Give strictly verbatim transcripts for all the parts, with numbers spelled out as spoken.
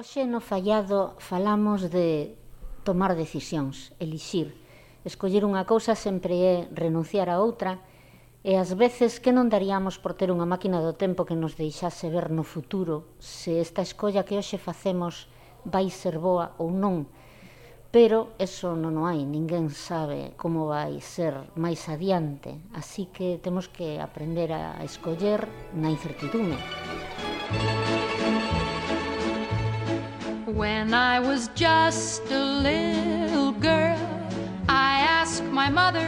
Hoxe no Fallado falamos de tomar decisións, elixir. Escoller unha cousa sempre é renunciar a outra e ás veces que non daríamos por ter unha máquina do tempo que nos deixase ver no futuro se esta escolla que hoxe facemos vai ser boa ou non. Pero eso non o hai, ninguén sabe como vai ser máis adiante, así que temos que aprender a escoller na incertidume. When I was just a little girl, I asked my mother,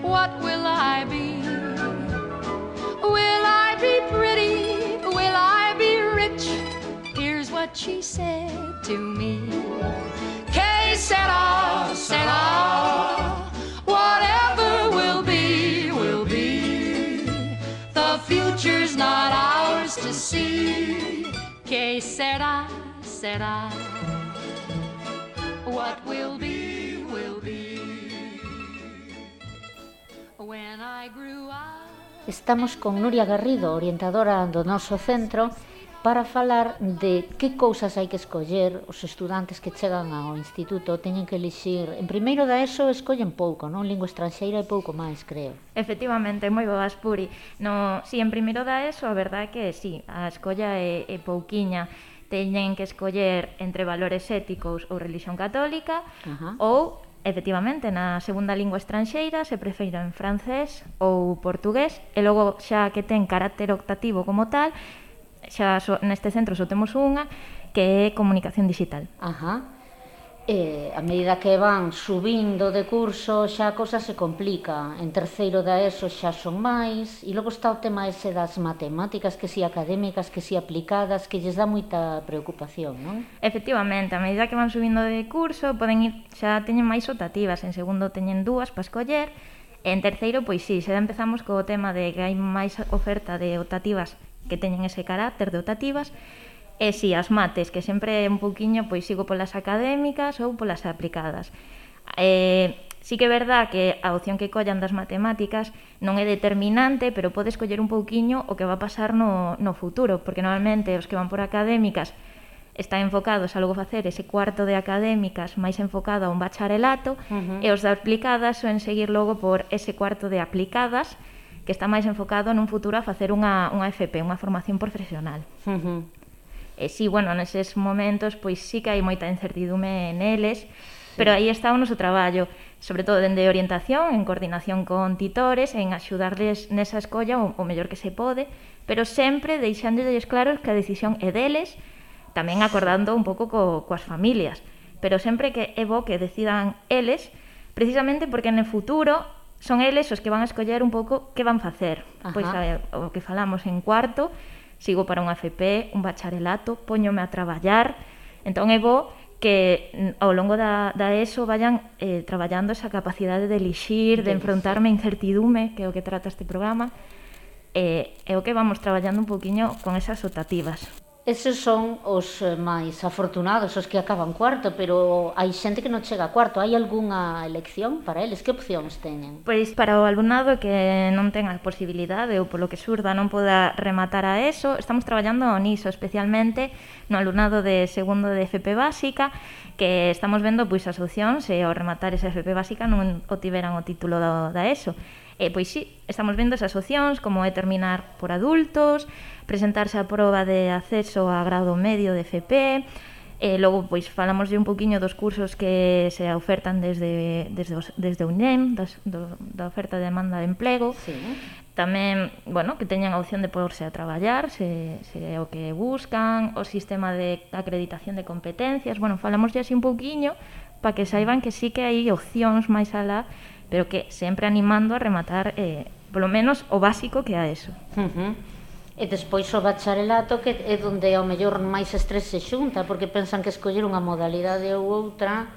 what will I be? Will I be pretty? Will I be rich? Here's what she said to me. Que sera, sera, whatever will be, will be. The future's not ours to see. Que sera, sera. What will be, will be. When I grew up. Estamos con Nuria Garrido, orientadora do noso centro, para falar de que cousas hai que escoller. Os estudantes que chegan ao instituto teñen que elixir. En primeiro da ESO escollen pouco, non? Lingua estranxeira e pouco máis, creo. Efectivamente, moi boas, Puri. No, si, en primeiro da ESO, a verdade é que si, a escolla é, é pouquiña. Teñen que escoller entre valores éticos ou religión católica, uh-huh. ou, efectivamente, na segunda lingua estranxeira se prefira en francés ou portugués, e logo xa que ten carácter optativo como tal, xa so, neste centro só temos unha, que é comunicación digital. Ajá. E a medida que van subindo de curso xa a cousa se complica. En terceiro da ESO xa son máis, e logo está o tema ese das matemáticas, que si académicas, que si aplicadas, que lles dá moita preocupación, non? Efectivamente, a medida que van subindo de curso poden ir, xa teñen máis optativas, en segundo teñen dúas para escoller, e en terceiro, pois si, xa empezamos co tema de que hai máis oferta de optativas que teñen ese carácter de optativas. E si, as mates, que sempre un pouquiño pois sigo polas académicas ou polas aplicadas. Eh, sí que é verdad que a opción que collan das matemáticas non é determinante, pero pode escoller un pouquiño o que va a pasar no, no futuro, porque normalmente os que van por académicas están enfocados a logo facer ese cuarto de académicas máis enfocado a un bacharelato, uh-huh. e os de aplicadas soen seguir logo por ese cuarto de aplicadas, que está máis enfocado nun futuro a facer unha, unha F P, unha formación profesional. Uh-huh. E si, bueno, neses momentos, pois sí que hai moita incertidume neles, sí. Pero aí está o noso traballo, sobre todo dende orientación, en coordinación con titores, en axudarles nesa escolla o, o mellor que se pode, pero sempre deixándolles claros que a decisión é deles, tamén acordando un pouco co, coas familias, pero sempre que é bo que decidan eles, precisamente porque no futuro son eles os que van a escoller un pouco que van facer. Ajá. Pois a, o que falamos en cuarto, sigo para unha F P, un bacharelato, póñome a traballar, entón é bo que ao longo da, da ESO vayan eh, traballando esa capacidade de elixir, de enfrontarme a incertidume, que é o que trata este programa, e é o que vamos traballando un poquinho con esas optativas. Eses son os máis afortunados, os que acaban cuarto, pero hai xente que non chega a cuarto. Hai algunha elección para eles? Que opcións teñen? Pois para o alumnado que non ten a posibilidade ou polo que surda non poda rematar a ESO, estamos traballando niso, especialmente no alumnado de segundo de F P básica, que estamos vendo pois as opcións e ao rematar esa F P básica non obtiveran o título da, da ESO. E, pois sí, estamos vendo esas opcións, como é terminar por adultos, presentarse a proba de acceso a grado medio de F P, e logo pois falamos un poquinho dos cursos que se ofertan desde, desde, desde o I N E M, das, do, da oferta de demanda de emprego. Sí. Tamén, bueno, que teñan a opción de poderse a traballar, se, se é o que buscan, o sistema de acreditación de competencias. Bueno, falamos así un poquinho para que saiban que sí que hai opcións máis alá, pero que sempre animando a rematar eh, polo menos o básico que é a ESO. Uh-huh. E despois o bacharelato, que é onde ao mellor máis estrés se xunta, porque pensan que escoller unha modalidade ou outra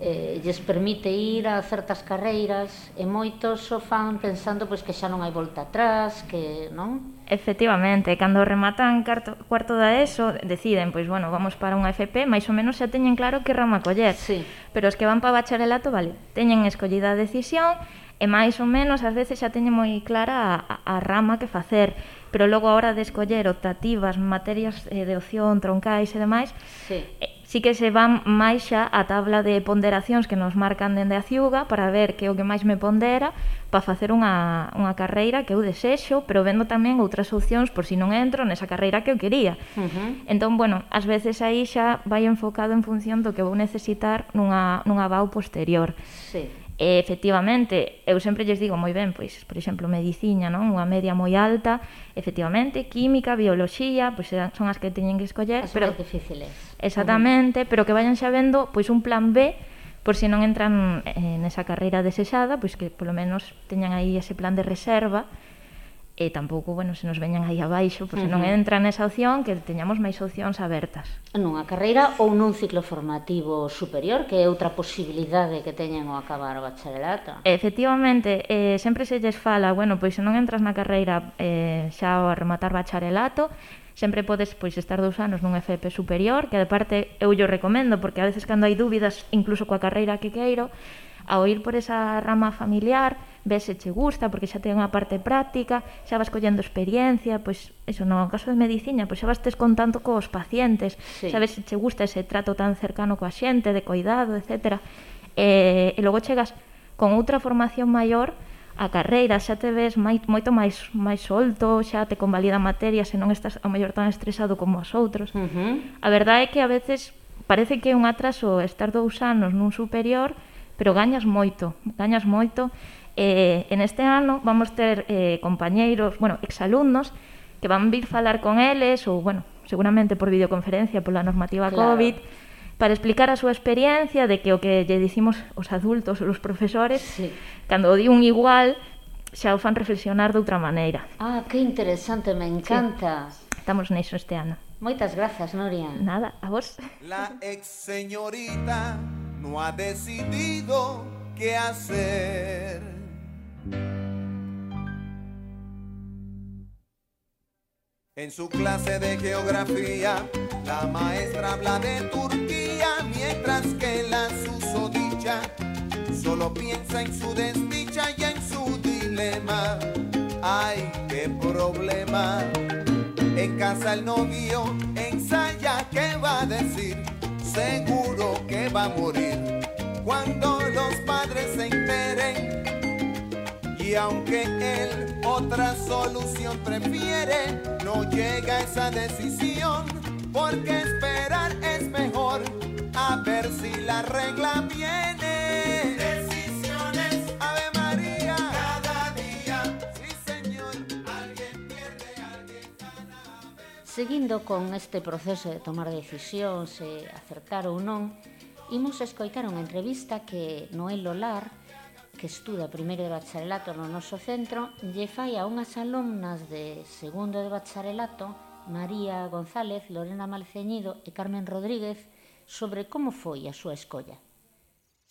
eh, lles permite ir a certas carreiras e moitos o fan pensando pois, que xa non hai volta atrás, que non? Efectivamente, cando rematan carto, cuarto da ESO deciden, pois bueno, vamos para unha F P, máis ou menos xa teñen claro que rama coller. Sí. Pero os que van para bacharelato, vale, teñen escollida a decisión e máis ou menos ás veces xa teñen moi clara a, a rama que facer, pero logo a hora de escoller optativas, materias eh, de opción, troncais e demais, sí. eh, sí que se van máis xa a tabla de ponderacións que nos marcan dende a ciuga para ver que o que máis me pondera para facer unha, unha carreira que eu desexo, pero vendo tamén outras opcións por si non entro nesa carreira que eu quería. Uh-huh. Entón, bueno, ás veces aí xa vai enfocado en función do que vou necesitar nunha, nunha V A U posterior. Sí. E, efectivamente, eu sempre lles digo moi ben, pois, por exemplo, medicina, non? Unha media moi alta, efectivamente, química, bioloxía, pois son as que teñen que escoller, as pero máis difíciles. exactamente, uh-huh. pero que vayan xa vendo pois un plan B por se non entran eh, nesa carreira desexada, pois que polo menos teñan aí ese plan de reserva. E tampouco, bueno, se nos veñan aí abaixo, pois se non entran nesa opción, que teñamos máis opcións abertas. Nunha carreira ou nun ciclo formativo superior, que é outra posibilidade que teñen ao acabar o bacharelato. Efectivamente, eh, sempre se lles fala, bueno, pois se non entras na carreira eh, xa ao rematar bacharelato, sempre podes pois estar dous anos nun F P superior, que de parte eu yo recomendo, porque a veces cando hai dúbidas, incluso coa carreira que queiro, ao ir por esa rama familiar, ves se che gusta, porque xa ten unha parte práctica, xa vas collendo experiencia, pois, eso, no caso de medicina, pois xa vas tes contando cos pacientes, sí. sabes se che gusta ese trato tan cercano coa xente, de cuidado, etcétera. E, e logo chegas con outra formación maior, a carreira xa te ves mai, moito máis máis solto, xa te convalida materia, se non estás ao mellor tan estresado como os outros. Uh-huh. A verdade é que a veces parece que é un atraso estar dous anos nun superior, pero gañas moito, gañas moito. E en este ano vamos ter eh, compañeiros, bueno, exalumnos, que van vir falar con eles, ou, bueno, seguramente por videoconferencia pola normativa claro. COVID, para explicar a súa experiencia de que o que lle dicimos os adultos ou os profesores, sí. cando o di un igual, xa o fan reflexionar de outra maneira. Ah, que interesante, me encanta. Sí. Estamos niso este ano. Moitas grazas, Noria. Nada, a vos. La ex señorita no ha decidido qué hacer. En su clase de geografía, la maestra habla de Turquía, mientras que la susodicha solo piensa en su desdicha y en su dilema. ¡Ay, qué problema! En casa el novio ensaya qué va a decir, seguro que va a morir cuando los padres se enteren. Y aunque él otra solución prefiere, no llega a esa decisión, porque esperar es mejor, a ver si la regla viene. Decisiones, Ave María, cada día, sí señor, alguien pierde, alguien gana. Seguindo con este proceso de tomar decisións e acertar ou non, imos escoitar unha entrevista que Noel Lolar, que estuda primeiro de bacharelato no noso centro, lle fai a unhas alumnas de segundo de bacharelato, María González, Lorena Malceñido e Carmen Rodríguez, sobre como foi a súa escolla.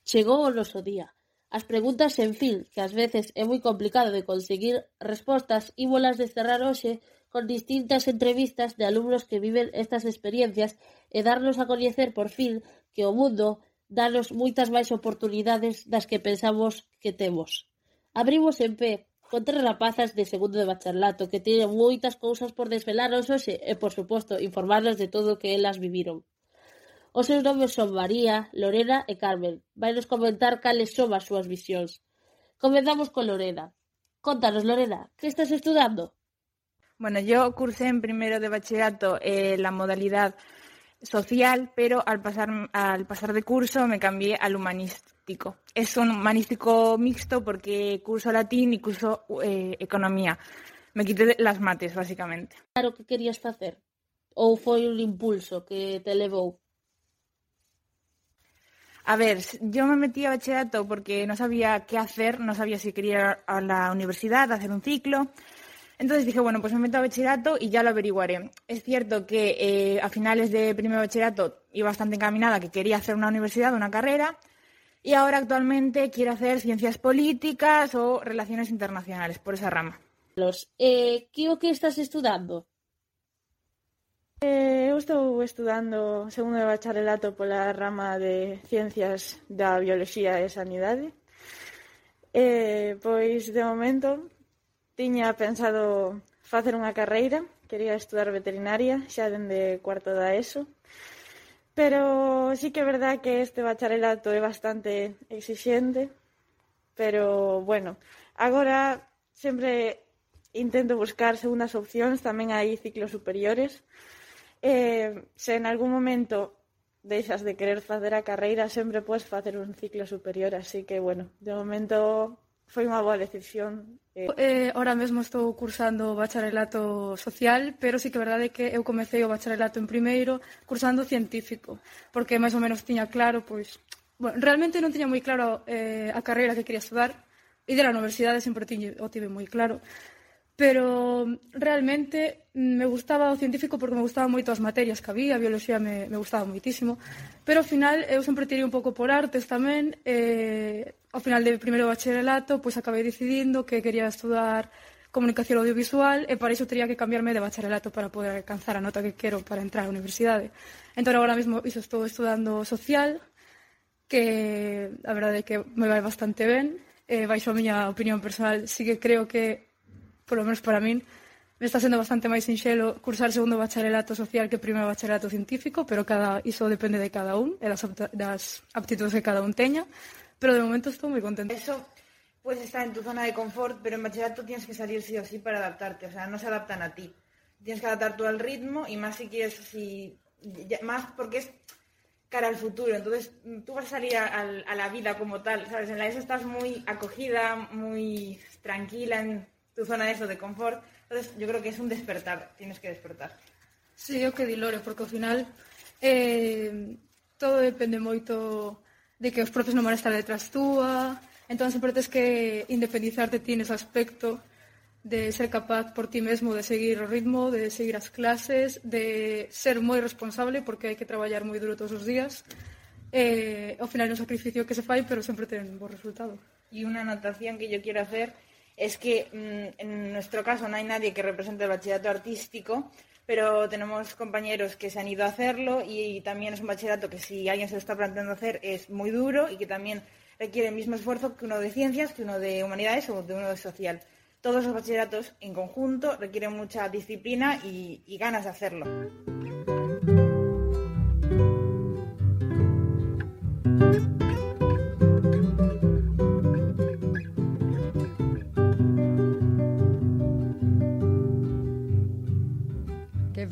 Chegou o noso día. As preguntas sen fin, que ás veces é moi complicado de conseguir respostas, ímolas desterrar hoxe con distintas entrevistas de alumnos que viven estas experiencias e darnos a coñecer por fin que o mundo danos moitas máis oportunidades das que pensamos que temos. Abrimos en pé con tres rapazas de segundo de bacharelato que tienen moitas cousas por desvelarnos hoxe e, por suposto, informarnos de todo o que elas viviron. Os seus nomes son María, Lorena e Carmen. Vainos comentar cales son as súas visións. Comenzamos con Lorena. Contanos, Lorena, que estás estudando? Bueno, yo cursé en primero de bachillerato eh, la modalidad social, pero al pasar, al pasar de curso me cambié al humanístico. Es un humanístico mixto porque curso latín y curso eh, economía. Me quité las mates, básicamente. Claro que querías facer? Ou foi un impulso que te levou? A ver, yo me metí a bachillerato porque no sabía qué hacer, no sabía si quería ir a la universidad, a hacer un ciclo. Entonces dije, bueno, pues me meto a bachillerato y ya lo averiguaré. Es cierto que eh, a finales de primer bachillerato iba bastante encaminada, que quería hacer una universidad, una carrera, y ahora actualmente quiero hacer ciencias políticas o relaciones internacionales, por esa rama. Eh, que o que estás estudando? Eh, eu estou estudando segundo de bacharelato pola rama de Ciencias da Bioloxía e Sanidade. Eh, pois, de momento, tiña pensado facer unha carreira, quería estudar veterinaria, xa dende cuarto da ESO, pero sí que é verdad que este bacharelato é bastante exixente, pero, bueno, agora sempre intento buscar segundas opcións, tamén hai ciclos superiores. Eh, se en algún momento deixas de querer facer a carreira, sempre podes facer un ciclo superior, así que, bueno, de momento foi unha boa decisión. Eh, eh, ahora mesmo estou cursando o bacharelato social, pero sí que é verdade que eu comecei o bacharelato en primeiro cursando científico, porque máis ou menos tiña claro, pois, bueno, realmente non tiña moi claro eh, a carreira que quería estudar, e de la universidade sempre tiñe, o tive moi claro, pero realmente me gustaba o científico porque me gustaban moito as materias que había, a bioloxía me, me gustaba moitísimo, pero ao final eu sempre tirei un pouco por artes tamén, e ao final de primeiro bacharelato pois acabei decidindo que quería estudar comunicación audiovisual e para iso teria que cambiarme de bacharelato para poder alcanzar a nota que quero para entrar á universidade. Entón agora mesmo iso estou estudando social, que a verdade é que me vai bastante ben, e baixo a miña opinión personal sí que creo que polo menos para min, me está sendo bastante máis sinxelo cursar segundo bacharelato social que primeiro bacharelato científico, pero cada iso depende de cada un e das, das aptitudes que cada un teña, pero de momento estou moi contenta. Eso puedes estar en tu zona de confort, pero en bachillerato tienes que salir sí o sí para adaptarte, o sea, no se adaptan a ti. Tienes que adaptar tú al ritmo y más si quieres, si, más porque es cara al futuro, entonces tú vas a salir a, a, a la vida como tal, ¿sabes? En la ESO estás muy acogida, muy tranquila en tu zona de eso, de confort, entonces yo creo que es un despertar, tienes que despertar. Sí, eu que di Lore, porque ao final eh, todo depende moito de que os profes non van a estar detrás túa, entón sempre tens que independizarte ti nese aspecto de ser capaz por ti mesmo de seguir o ritmo, de seguir as clases, de ser moi responsable, porque hai que traballar moi duro todos os días, eh, ao final é un sacrificio que se fai, pero sempre ten un bo resultado. Y una anotación que yo quiero hacer es que mmm, en nuestro caso no hay nadie que represente el bachillerato artístico, pero tenemos compañeros que se han ido a hacerlo y también es un bachillerato que si alguien se lo está planteando hacer es muy duro y que también requiere el mismo esfuerzo que uno de ciencias, que uno de humanidades o de uno de social. Todos los bachilleratos en conjunto requieren mucha disciplina y, y ganas de hacerlo.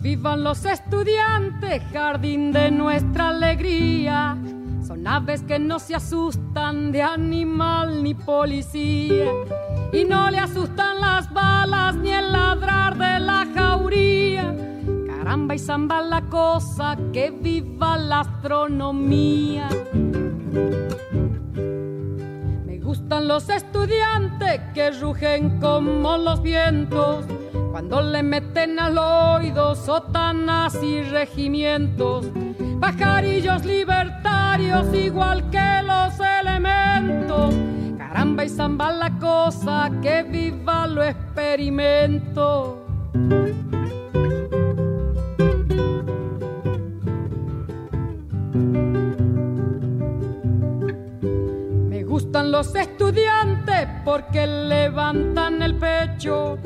Vivan los estudiantes, jardín de nuestra alegría. Son aves que no se asustan de animal ni policía. Y no le asustan las balas ni el ladrar de la jauría. Caramba y zamba la cosa, que viva la astronomía. Me gustan los estudiantes que rugen como los vientos, cuando le meten al oído sotanas y regimientos, pajarillos libertarios igual que los elementos. Caramba y zamba la cosa, que viva lo experimento. Me gustan los estudiantes porque levantan el pecho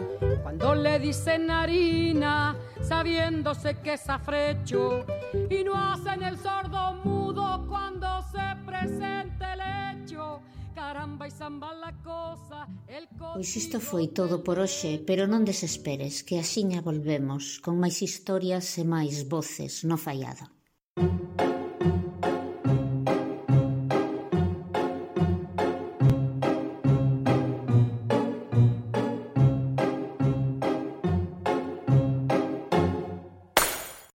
cuando le dicen harina, sabiéndose que es afrecho, y no hacen el sordo mudo cuando se presente el hecho. Caramba y zamba la cosa, el Pois isto foi todo por hoxe, pero non desesperes, que axiña volvemos con máis historias e máis voces no faiado.